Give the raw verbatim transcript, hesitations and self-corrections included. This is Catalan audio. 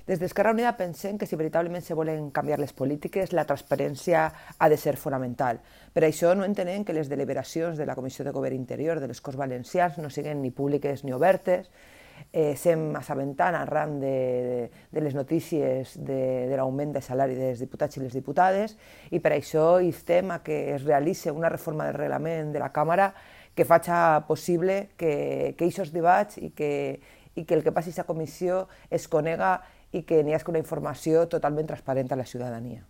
Des d'Esquerra Unida pensem que si veritablement se volen canviar les polítiques, la transparència ha de ser fonamental. Per això no entenem que les deliberacions de la Comissió de Govern Interior de les Corts Valencians no siguin ni públiques ni obertes. Eh, Estem assabentant arran de, de les notícies de, de l'augment de salari dels diputats i les diputades i per això instem a que es realitzi una reforma del reglament de la Càmera que faci possible que aquests debats i que, i que el que passi a la comissió es conega i que n'hi hagi una informació totalment transparent a la ciutadania.